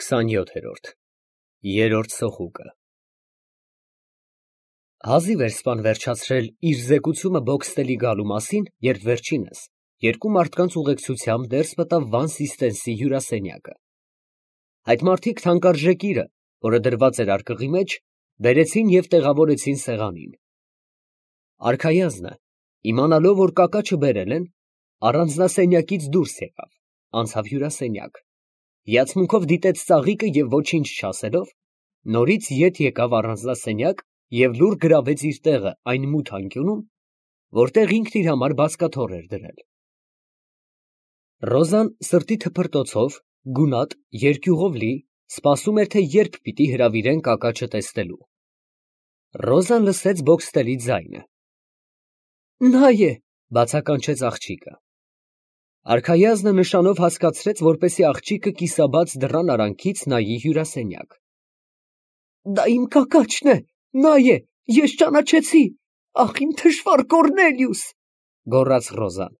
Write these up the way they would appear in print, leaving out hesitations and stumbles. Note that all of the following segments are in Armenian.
27-րդ Երրորդ սոխուկը Հազիվ էր սպան վերջացրել իր զեկուցումը Բոքստելի գալու մասին, երբ վերջինս երկու մարդկանց ուղեկցությամբ ներս մտավ Վան Սիստենսի հյուրասենյակը։ Այդ մարդիկ թանկարժեք իրը, որը դրված էր արկղի մեջ, բերեցին և տեղավորեցին սեղանին։ Արքայազնը, իմանալով, որ կակաչը բերել են, առանձնասենյակից դուրս եկավ, անցավ հյուրասենյակ, հիացմունքով դիտեց ծաղիկը և ոչինչ չասելով, նորից ետ եկավ առանձնասենյակ և լուռ գրավեց իր տեղը այն մութ անկյունում, որտեղ ինքն իր համար բազկաթոռ էր դրել։ Ռոզան սրտի թփրտոցով, գունատ, երկյուղով լի, սպասում էր, թե երբ պիտի հրավիրեն կակաչը տեսնելու։ Ռոզան լսեց Բոքստելի ձայնը։ «Նա է», բացականչեց աղջիկը։ Արքայազնը նշանով հասկացրեց, որպեսզի աղջիկը կիսաբաց դռան արանքից նայի հյուրասենյակ։ «Դա իմ կակաչն է, նա է, ես ճանաչեցի, ախ, իմ թշվառ Կոռնելիուս», գոռաց Ռոզան,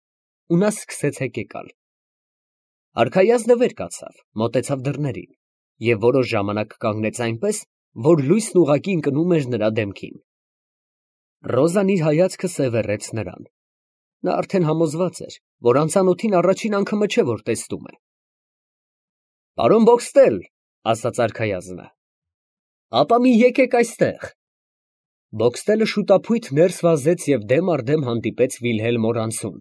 ու նա սկսեց հեկեկալ։ Արքայազնը վեր կացավ, մոտեցավ դռներին և որոշ ժամանակ կանգնեց այնպես, որ լույսն ուղղակի ընկնում էր նրա դեմքին։ Ռոզան իր հայացքը սևեռեց նրան։ Նա արդեն համոզված էր, որ անծանոթին առաջին անգամը չէ, որ տեսնում է։ «Պարոն Բոքստել», ասաց արքայազնը, «ապա մի եկեք այստեղ»։ Բոքստելը շուտափույթ ներս վազեց և դեմ առ դեմ հանդիպեց Վիլհելմ Օրանցուն։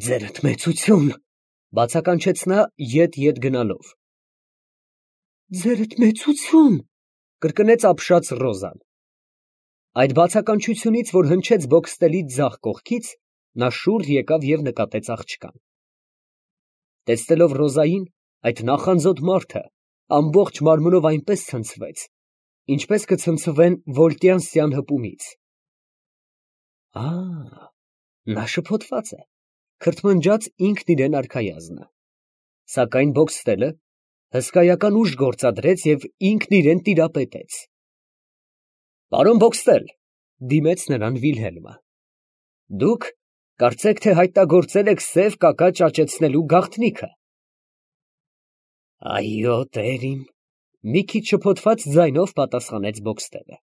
«Ձերդ մեծություն», բացականչեց նա ետ գնալով։ «Ձերդ մեծություն», կրկնեց ապշած Ռոզան։ Այդ բացականչությունից, որ հնչեց Բոքստելի ձախ կողքից, նա շուռ եկավ և նկատեց աղջկան։ Տեսնելով Ռոզային, այդ նախանձոտ մարդը ամբողջ մարմնով այնպես ցնցվեց, ինչպես կցնցվեն վոլտյանսյան հպումից։ Նա շփոթված է, քրթմնջաց ինքն իրեն արքայազնը։ Սակայն Բոքստելը հսկայական ուժ գործադրեց և ինքն իրեն տիրապետեց։ «Պարոն Բոքստել», դիմեց նրան Վիլհելմը, «դուք կարծեք թե հայտնագործել եք սև կակաչ աճեցնելու գաղտնիքը»։ «Այո, տերիմ», մի քիչ շփոթված ձայնով պատասխանեց Բոքստելը։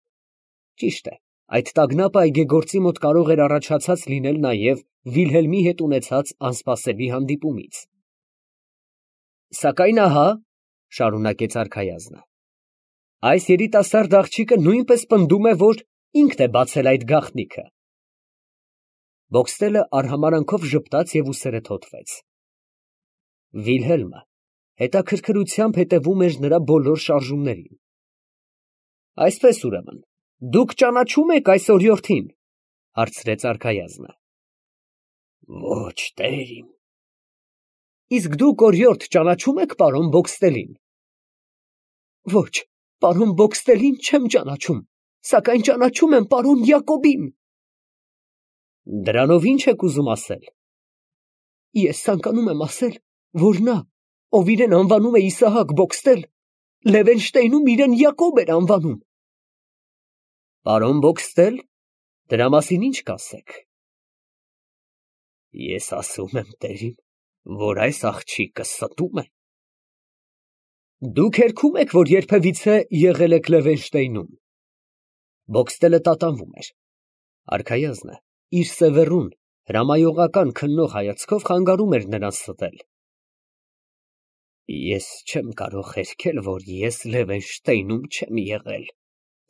Ճիշտ է, այդ տագնապը այգեգործի մոտ կարող էր առաջացած լինել նաև Վիլհելմի հետ ունեցած անսպասելի հանդիպումից։ «Սակայն ահա», շարունակեց արքայազնը, «այս երիտասարդ աղջիկը նույնպես պնդում է, որ ինքն է բացել այդ գաղտնիքը»։ Բոքստելը արհամարհանքով ժպտաց և ուսերը թոթվեց։ Վիլհելմը հետաքրքրությամբ հետևում էր նրա բոլոր շարժումներին։ «Այսպես, ուրեմն, դուք ճանաչո՞ւմ եք այս օրիորդին», հարցրեց արքայազնը։ «Ոչ, տերիմ»։ «Իսկ դուք, օրիորդ, ճանաչո՞ւմ եք պարոն Բոքստելին»։ «Ոչ, պարոն Բոքստելին չեմ ճանաչում, սակայն ճանաչում եմ պարոն Յակոբին»։ «Դրանով ի՞նչ եք ուզում ասել»։ «Ես ցանկանում եմ ասել, որ նա, ով իրեն անվանում է Իսահակ Բոքստել, Լևենշտեյնում իրեն Յակոբ էր անվանում»։ «Պարոն Բոքստել, դրա մասին ի՞նչ կասեք»։ «Ես ասում եմ, տերիմ, որ այս աղջիկը ստում է»։ «Դուք հերքում եք, որ երբևիցե եղել եք Լևենշտեյնում»։ Բոքստելը տատանվում էր։ Արքայազնը իր սևեռուն, հրամայողական քննող հայացքով խանգարում էր նրան ստել։ «Ես չեմ կարող հերքել, որ ես Լևենշտեյնում չեմ եղել,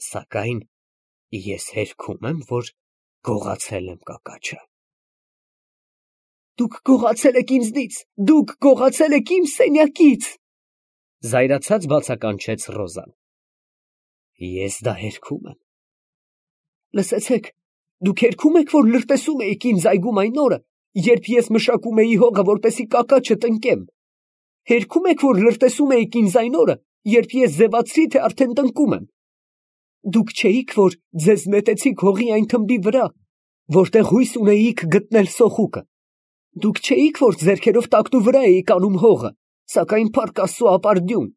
սակայն ես հերքում եմ, որ գողացել եմ կակաչը»։ «Դուք գողացել եք ինձնից, դուք գողացել եք իմ սենյակից», զայրացած բացականչեց Ռոզան։ «Ես դա հերքում եմ»։ «Լսեցեք, դուք հերքում եք, որ լրտեսում էիք ինձ այգում այն օրը, երբ ես մշակում էի հողը, որպեսզի կակաչը տնկեմ։ Հերքում եք, որ լրտեսում էիք ինձ այն օրը, երբ ես ձևացրի, թե արդեն տնկում եմ։ Դուք չէիք, որ ձեզ նետեցիք հողի այն թմբի վրա, որտեղ հույս ունեիք գտնել սոխուկը։ Դուք չէիք, որ ձեռքերով տակնուվրա էիք անում հողը, սակայն փառք Աստծո ապարդյուն,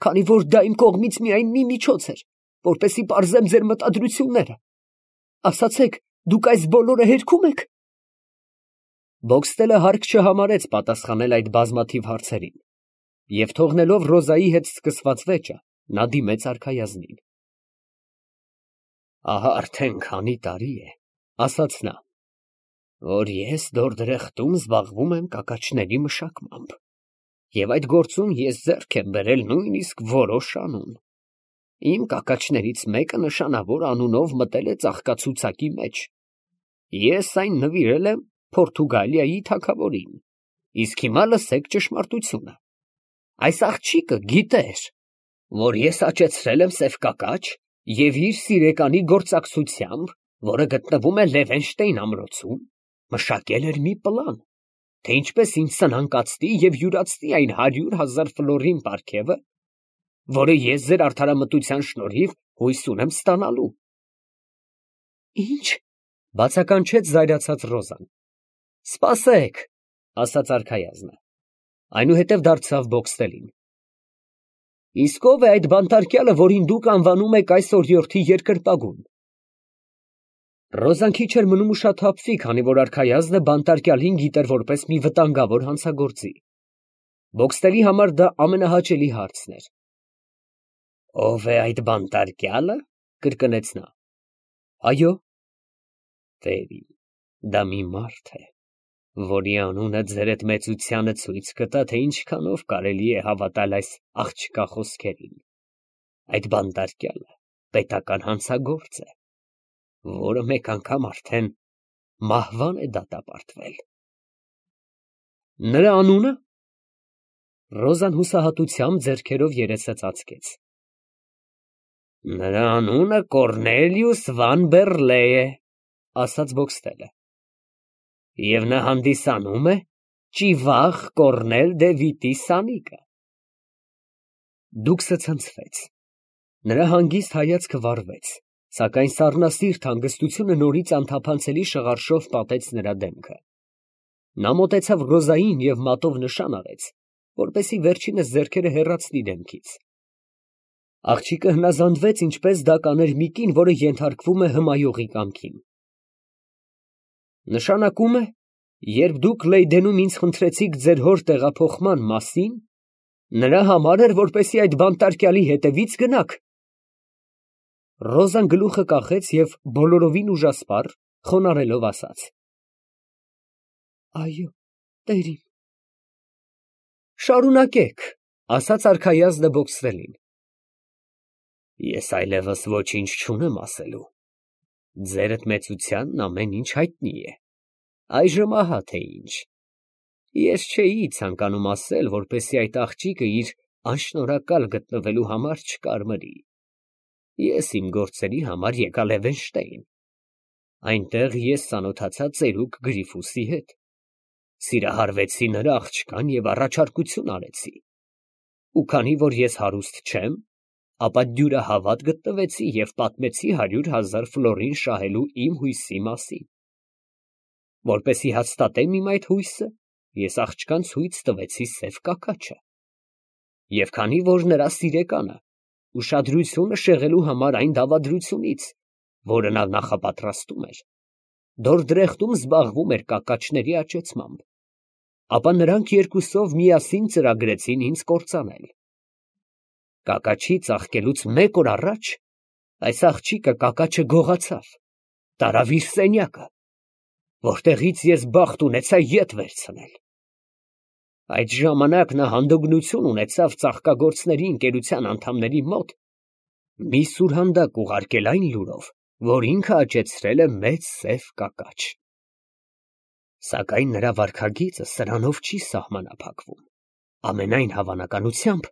քանի որ դա իմ կողմից միայն մի միջոց էր, որպեսզի պարզեմ ձեր մտադրությունները։ Ասացեք, դուք այս բոլորը հերքում եք»։ Բոքստելը հարկ չհամարեց պատասխանել այդ բազմաթիվ հարցերին։ Եվ թողնելով Ռոզայի հետ սկսված վեճը, նա դիմեց արքայազնին։ Ահա արդեն քանի տարի է, ասաց նա, որ ես Դորդրեխտում զբաղվում եմ կակաչների մշակմամբ, և այդ գործում ես ձեռք եմ բերել նույնիսկ որոշ անուն։ Իմ կակաչներից մեկը նշանավոր անունով մտել է ծաղկացուցակի մեջ։ Ես այն նվիրել եմ Պորտուգալիայի թագավորին, իսկ հիմա լսեք ճշմարտությունը։ Այս աղջիկը գիտեր, որ ես աճեցրել եմ սև կակաչ և իր սիրեկանի գործակցությամբ, որը գտնվում է Լևենշտեյն ամրոցում, մշակել էր մի պլան, թե ինչպես ինձ սնանկացնի և յուրացնի այն 100,000 ֆլորին պարգևը, որը ես ձեր արդարամտության շնորհիվ հույս ունեմ ստանալու։ Ինչ, բացականչեց զայրացած Ռոզան։ Սպասեք, ասաց արքայազնը, այնուհետև դարձավ Բոքստելին։ Իսկ ով է այդ բանտարկյալը, որին դուք անվանում եք այս օրիորդի երկրպագուն։ Ռոզան քիչ էր մնում ուշաթափվի, քանի որ արքայազնը բանտարկյալին գիտեր որպես մի վտանգավոր հանցագործի։ Բոքստելի համար դա ամենահաճելի հարցն էր։ Ով է այդ բանտարկյալը, կրկնեց նա։ Այո։ Տերին, դա մի մարդ է, որի անունը ձերդ մեծությանը ցույց կտա, թե ինչքանով կարելի է հավատալ այս աղջկա խոսքերին։ Այդ բանտարկյալը պետական հանցագործ է, որը մեկ անգամ արդեն մահվան է դատապարտվել։ Նրա անունը։ Ռոզան հուսահատությամբ ձեռքերով երեսը ծածկեց։ Նրա անունը Կորնելիուս վան Բերլե է, ասաց Բոքստելը։ Եվ նա հանդիսանում է Ճիվախ Կորնել դե Վիտի սանիկը։ Դուքսը ցնցվեց։ Նրա հանգիստ հայացքը վառվեց, սակայն սառնասիրտ հանգստությունը նորից անթափանցելի շղարշով պատեց նրա դեմքը։ Նա մոտեցավ Ռոզային և մատով նշան արեց, որպեսզի վերջինս ձեռքերը հեռացնի դեմքից։ Աղջիկը հնազանդվեց, ինչպես դա կաներ մի կին, որը ենթարկվում է հմայողի կամքին։ Նշանակում է, երբ դուք Լեյդենում ինձ խնդրեցիք ձեր հոր տեղափոխման մասին, նրա համար էր, որպեսզի այդ բանտարկյալի հետևից գնաք։ Ռոզան գլուխը կախեց և բոլորովին ուժասպառ, խոնարհելով ասաց. Այո, տերին։ Շարունակեք, ասաց արքայազնը Բոքստելին։ Ես այլևս ոչինչ չունեմ ասելու։ Ձերդ մեծությանն ամեն ինչ հայտնի է։ Այժմ ահա թե ինչ։ Ես չէի ցանկանում ասել, որպեսզի այդ աղջիկը իր անշնորհակալ գտնվելու համար չկարմրի։ Ես իմ գործերի համար եկա Լևենշտեյն։ Այնտեղ ես ծանոթացա ծերուկ Գրիֆուսի հետ։ Սիրահարվեցի նրա աղջկան և առաջարկություն արեցի։ Ու քանի որ ես հարուստ չեմ, ապա դյուրահավատ գտնվեցի և պատմեցի 100,000 ֆլորին շահելու իմ հույսի մասին։ Որպեսզի հաստատեմ իմ այդ հույսը, ես աղջկան ցույց տվեցի սև կակաչը։ Եվ քանի որ նրա սիրեկանը ուշադրությունը շեղելու համար այն դավադրությունից, որը նա նախապատրաստում էր, Դորդրեխտում զբաղվում էր կակաչների աճեցմամբ, ապա նրանք երկուսով միասին ծրագրեցին ինձ կործանել։ Կակաչի ծաղկելուց 1 օր առաջ այս աղջիկը կակաչը գողացավ, տարավ իր սենյակը, որտեղից ես բախտ ունեցա ետ վերցնել։ Այդ ժամանակ նա հանդգնություն ունեցավ ծաղկագործների ընկերության անդամների մոտ մի սուրհանդակ ուղարկել այն լուրով, որ ինքը աճեցրել է մեծ սև կակաչ։ Սակայն նրա վարքագիծը սրանով չի սահմանափակվում։ Ամենայն հավանականությամբ,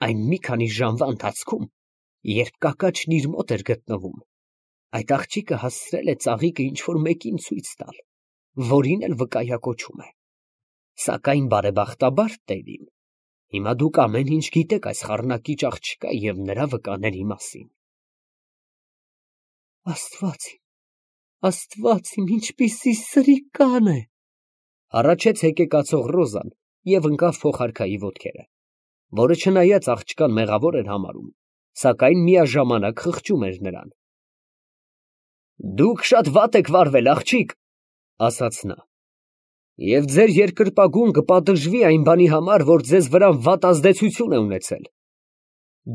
այն մի քանի ժամվա ընթացքում, երբ կակաչն իր մոտ էր գտնվում, այդ աղջիկը հասցրել է ծաղիկը ինչ-որ մեկին ցույց տալ, որին էլ վկայակոչում է։ Սակայն բարեբախտաբար, տերին, հիմա դուք ամեն ինչ գիտեք այս խառնակիչ աղջկա և նրա վկաների մասին։ Աստված իմ, ինչպիսի սրիկան է, հառաչեց հեկեկացող Ռոզան և ընկավ փոխարքայի ոտքերը, որը չնայած աղջկան մեղավոր էր համարում, սակայն միաժամանակ խղճում էր նրան։ Դուք շատ վատ եք վարվել, աղջիկ, ասաց նա։ Եվ ձեր երկրպագուն կպատժվի այն բանի համար, որ ձեզ վրա վատ ազդեցություն է ունեցել։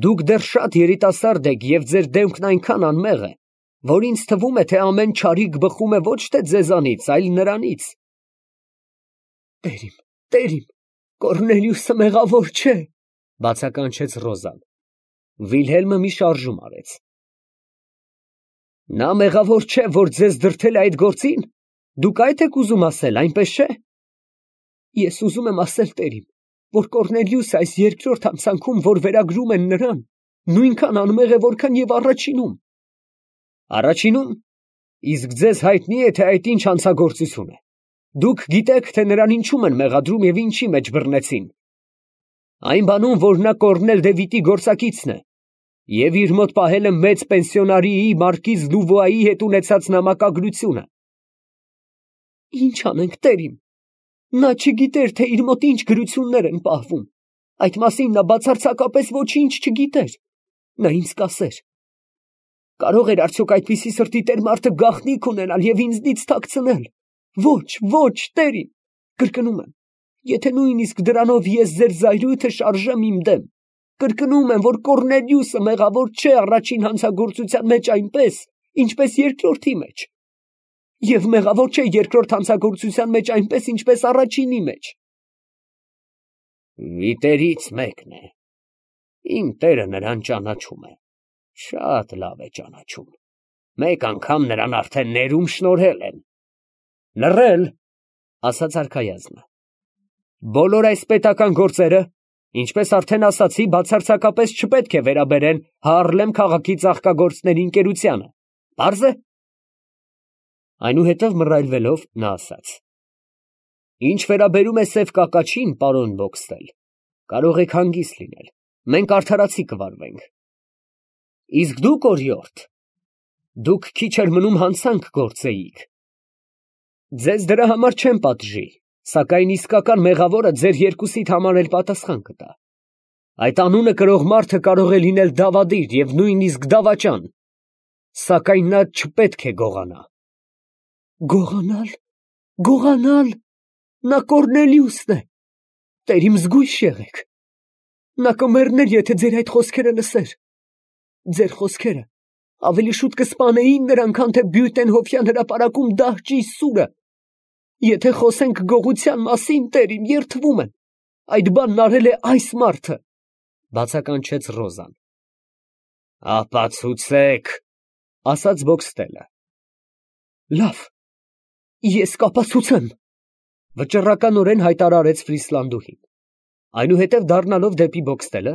Դուք դեռ շատ երիտասարդ եք և ձեր դեմքն այնքան անմեղ է, որ ինձ թվում է, թե ամեն չարիք բխում է ոչ թե ձեզանից, այլ նրանից։ Տեր իմ, Կոռնելիուսը մեղավոր չէ, բացականչեց Ռոզան։ Վիլհելմը մի շարժում արեց։ Նա մեղավոր չէ, որ ձեզ դրդել է այդ գործին։ Դուք այդ եք ուզում ասել, այնպես չէ։ Ես ուզում եմ ասել, տեր իմ, որ Կոռնելիուսը այս երկրորդ հանցանքում, որ վերագրում են նրան, նույնքան անմեղ է, որքան և առաջինում։ Առաջինում։ Իսկ ձեզ հայտնի է, թե այդ ինչ հանցագործություն է։ Դուք գիտեք, թե նրան ինչում են մեղադրում և ինչի մեջ բռնեցին։ Այն բանում, որ նա Կոռնել Դևիթի գործակիցն է և իր մոտ պահել է մեծ պենսիոնարիի մարկիզ Լուվոայի հետ ունեցած նամակագրությունը։ Ինչ անենք, տեր իմ։ Նա չգիտեր, թե իր մոտ ինչ գրություններ են պահվում։ Այդ մասին նա բացարձակապես ոչինչ չգիտեր։ Նա ինձ կասեր։ Կարող էր արդյոք այդպիսի սրտի տեր մարդը գաղտնիք ունենալ և ինձնից թաքցնել։ Ոչ, տեր իմ, կրկնում եմ, եթե նույնիսկ դրանով ես ձեր զայրույթը շարժեմ իմ դեմ, կրկնում եմ, որ Կոռնելիուսը մեղավոր չէ առաջին հանցագործության մեջ այնպես, ինչպես երկրորդի մեջ, և մեղավոր չէ երկրորդ հանցագործության մեջ այնպես, ինչպես առաջինի մեջ։ Վիտերից մեկն է։ Իմ տերը նրան ճանաչում է, շատ լավ է ճանաչում։ Մեկ անգամ նրան արդեն ներում շնորհել են։ Լռել, ասաց արքայազնը։ Բոլոր այս պետական գործերը, ինչպես արդեն ասացի, բացարձակապես չպետք է վերաբերեն Հարլեմ քաղաքի ծաղկագործների ընկերությանը։ Պարզ է։ Այնուհետև մռայլվելով նա ասաց. Ինչ վերաբերում է սև կակաչին, պարոն Բոքստել, կարող եք հանգիստ լինել, մենք արդարացի կվարվենք։ Իսկ դուք, օրիորդ, դուք քիչ էր մնում հանցանք գործեիք։ Ձեզ դրա համար չեմ պատժի, սակայն իսկական մեղավորը ձեր երկուսիդ համար էլ պատասխան կտա։ Այդ անունը կրող մարդը կարող է լինել դավադիր և նույնիսկ դավաճան, սակայն նա չպետք է գողանա։ Գողանալ, նա Կոռնելիուսն է, տեր իմ զգույշ եղեք, նա կմեռներ, եթե ձեր այդ խոսքերը լսեր, ձեր խոսքերը ավելի շուտ կսպանեին նրան, քան թե Բյուտենհոֆյան հրապարակում դահճի սուրը, եթե խոսենք գողության մասին, տեր իմ, երդվում եմ, այդ բանն արել է այս մարդը, բացականչեց Ռոզան։ Ապացուցեք, ասաց Բոքստելը։ Լավ, ես կապացուցեմ, վճռականորեն հայտարարեց Ֆրիսլանդուհին։ Այնուհետև դառնալով դեպի Բոքստելը,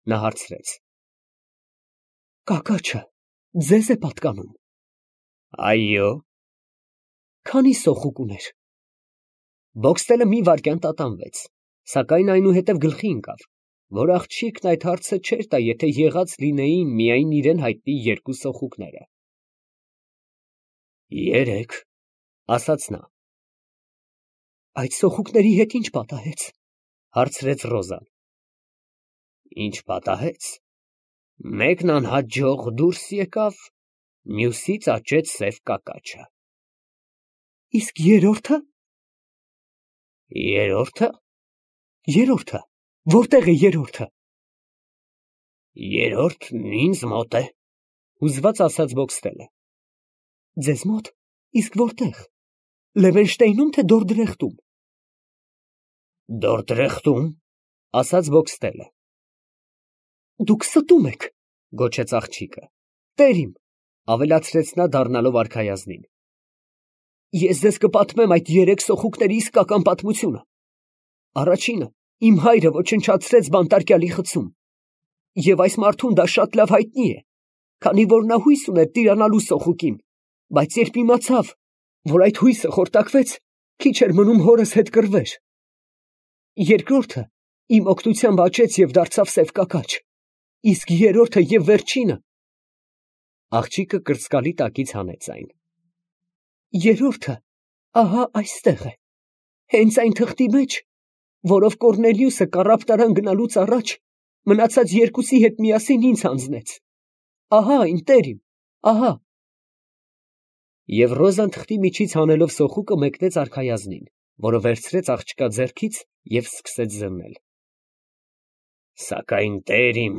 նա հարցրեց. Կակաչը ձեզ է պատկանում։ Այո։ Քանի սոխուկ ուներ։ Բոքստելը մի վայրկյան տատանվեց, սակայն այնուհետև գլխի ընկավ, որ աղջիկն այդ հարցը չէր տա, եթե եղած լինեին միայն իրեն հայտնի երկու սոխուկները։ 3, ասաց նա։ Այդ սոխուկների հետ ինչ պատահեց, հարցրեց Ռոզան։ Ինչ պատահեց։ Մեկն անհաջող դուրս եկավ, մյուսից աճեց սև կակաչը։ Իսկ երրորդը։ Երրորդը, որտեղ է երրորդը։ Երրորդն ինձ մոտ է, հուզված ասաց Բոքստելը։ Ձեզ մոտ, իսկ որտեղ։ Լևենշտեյնում, թե Դորդրեխտում։ Դորդրեխտում, ասաց Բոքստելը։ Դուք ստում եք, գոչեց աղջիկը։ Տեր իմ, ավելացրեց նա դառնալով արքայազնին։ Ես ձեզ կպատմեմ այդ 3 սոխուկների իսկական պատմությունը։ Առաջինը իմ հայրը ոչնչացրեց բանտարկյալի խցում, և այս մարդուն դա շատ լավ հայտնի է, քանի որ նա հույս ուներ տիրանալու սոխուկին, բայց երբ իմացավ, որ այդ հույսը խորտակվեց, քիչ էր մնում հորս հետ կռվեր։ Երկրորդը իմ օգնությամբ աճեց և դարձավ սև կակաչ, իսկ երրորդը և վերջինը… Աղջիկը կրծկալի տակից հանեց այն։ Երրորդը ահա այստեղ է, հենց այն թղթի մեջ, որով Կոռնելիուսը կառապտարան գնալուց առաջ մնացած երկուսի հետ միասին ինձ հանձնեց։ Ահա այն, տեր իմ, ահա։ Եվ Ռոզան թղթի միջից հանելով սոխուկը մեկնեց արքայազնին, որը վերցրեց աղջկա ձեռքից և սկսեց զննել։ Սակայն տեր իմ,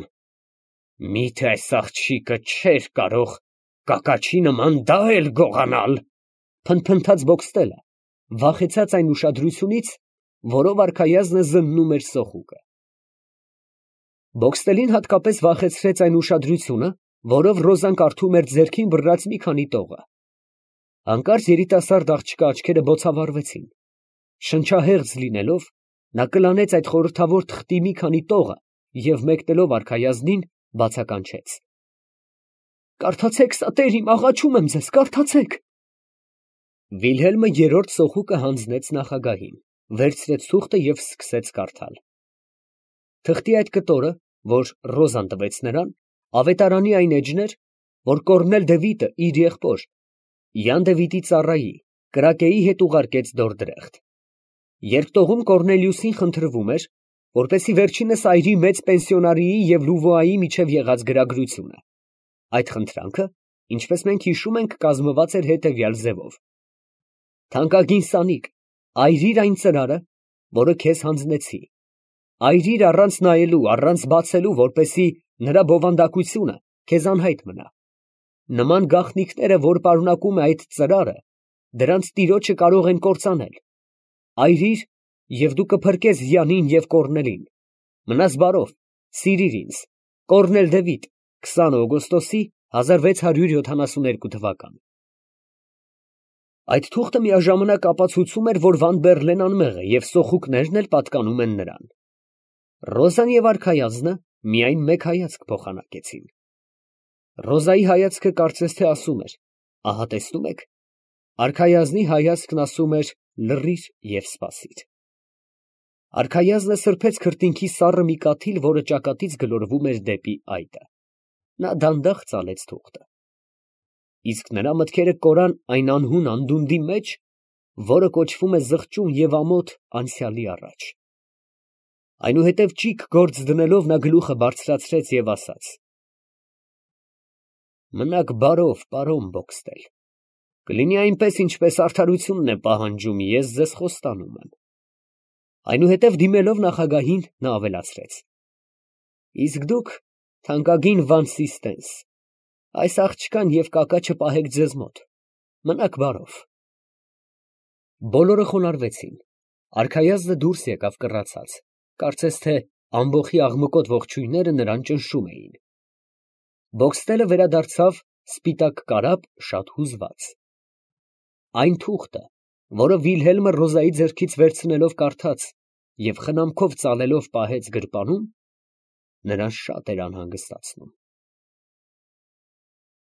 միթե այս աղջիկը չէր կարող կակաչի նման դա էլ գողանալ, փնթփնթաց Բոքստելը, վախեցած այն ուշադրությունից, որով արքայազնը զննում էր սոխուկը։ Բոքստելին հատկապես վախեցրեց այն ուշադրությունը, որով Ռոզան կարդում էր ձեռքին բռած մի քանի տողը։ Հանկարծ երիտասարդ աղջկա աչքերը բոցավառվեցին։ Շնչահեղձ լինելով, նա կլանեց այդ խորհրդավոր թղթի մի քանի տողը և մեկնելով արքայազնին, բացականչեց. «Կարդացեք սա, տեր իմ, աղաչում եմ ձեզ, կարդացեք»։ Վիլհելմը երրորդ սոխուկը հանձնեց նախագահին, վերցրեց թուղթը և սկսեց կարդալ։ Թղթի այդ կտորը, որ Ռոզան տվեց նրան, ավետարանի այն էջն էր, որ Կոռնել դևիտը իր եղբոր Յան Դևիդի ծառայի Կրակեի հետ ուղարկեց Դորդրեխտ։ Երբ տողում Կոռնելիուսին խնդրվում էր, որպեսզի վերջինս այրի մեծ պենսիոնարիի և Լուվոայի միջև եղած գրագրությունը։ Այդ խնդրանքը, ինչպես մենք հիշում ենք, կազմված էր հետևյալ ձևով. «Թանկագին Սանիկ, այրիր այն ծրարը, որը քեզ հանձնեցի, այրիր առանց նայելու, առանց բացելու, որպեսզի նրա բովանդակությունը քեզ անհայտ մնա։ Նման գաղտնիքները, որ պարունակում է այդ ծրարը, դրանց տիրոջը կարող են կործանել։ Այրիր, և դու կփրկես Յանին և Կոռնելին։ Մնաս բարով, սիրիր ինձ։ Կոռնել Դևիթ, 20 օգոստոսի 1672 թվական»։ Այդ թուղթը միաժամանակ ապացուցում էր, որ Վան Բեռլեն անմեղ է և սոխուկներն էլ պատկանում են նրան։ Ռոզան և արքայազնը միայն մեկ հայացք փոխանակեցին։ Ռոզայի հայացքը կարծես թե ասում էր. «Ահա տեսնում եք»։ Արքայազնի հայացքն ասում էր. «Լռիր և սպասիր»։ Արքայազնը սրբեց քրտինքի սառը մի կաթիլ, որը ճակատից գլորվում էր դեպի այտը։ Նա դանդաղ ծալեց թուղթը։ Իսկ նրա մտքերը կորան այն անհուն անդունդի մեջ, որը կոչվում է զղջում և ամոթ անցյալի առաջ։ Այնուհետև ճիգ գործ դնելով նա գլուխը բարձրացրեց և ասաց. «Մնաք բարով, պարոն Բոքստել, կլինի այնպես, ինչպես արդարությունն է պահանջում, ես ձեզ խոստանում եմ»։ Այնուհետև դիմելով նախագահին, նա ավելացրեց. «Իսկ դուք, թանկագին Վան Սիստենս, այս աղջկան և կակաչը պահեք ձեզ մոտ, մնաք բարով»։ Բոլորը խոնարհվեցին։ Արքայազնը դուրս եկավ կռացած, կարծես թե ամբոխի աղմկոտ ողջույնները նրան ճնշում էին։ Բոքստելը վերադարձավ սպիտակ կարապ, շատ հուզված։ Այն թուղթը, որը Վիլհելմը Ռոզայի ձեռքից վերցնելով կարդաց և խնամքով ծալելով պահեց գրպանում, նրան շատ էր անհանգստացնում։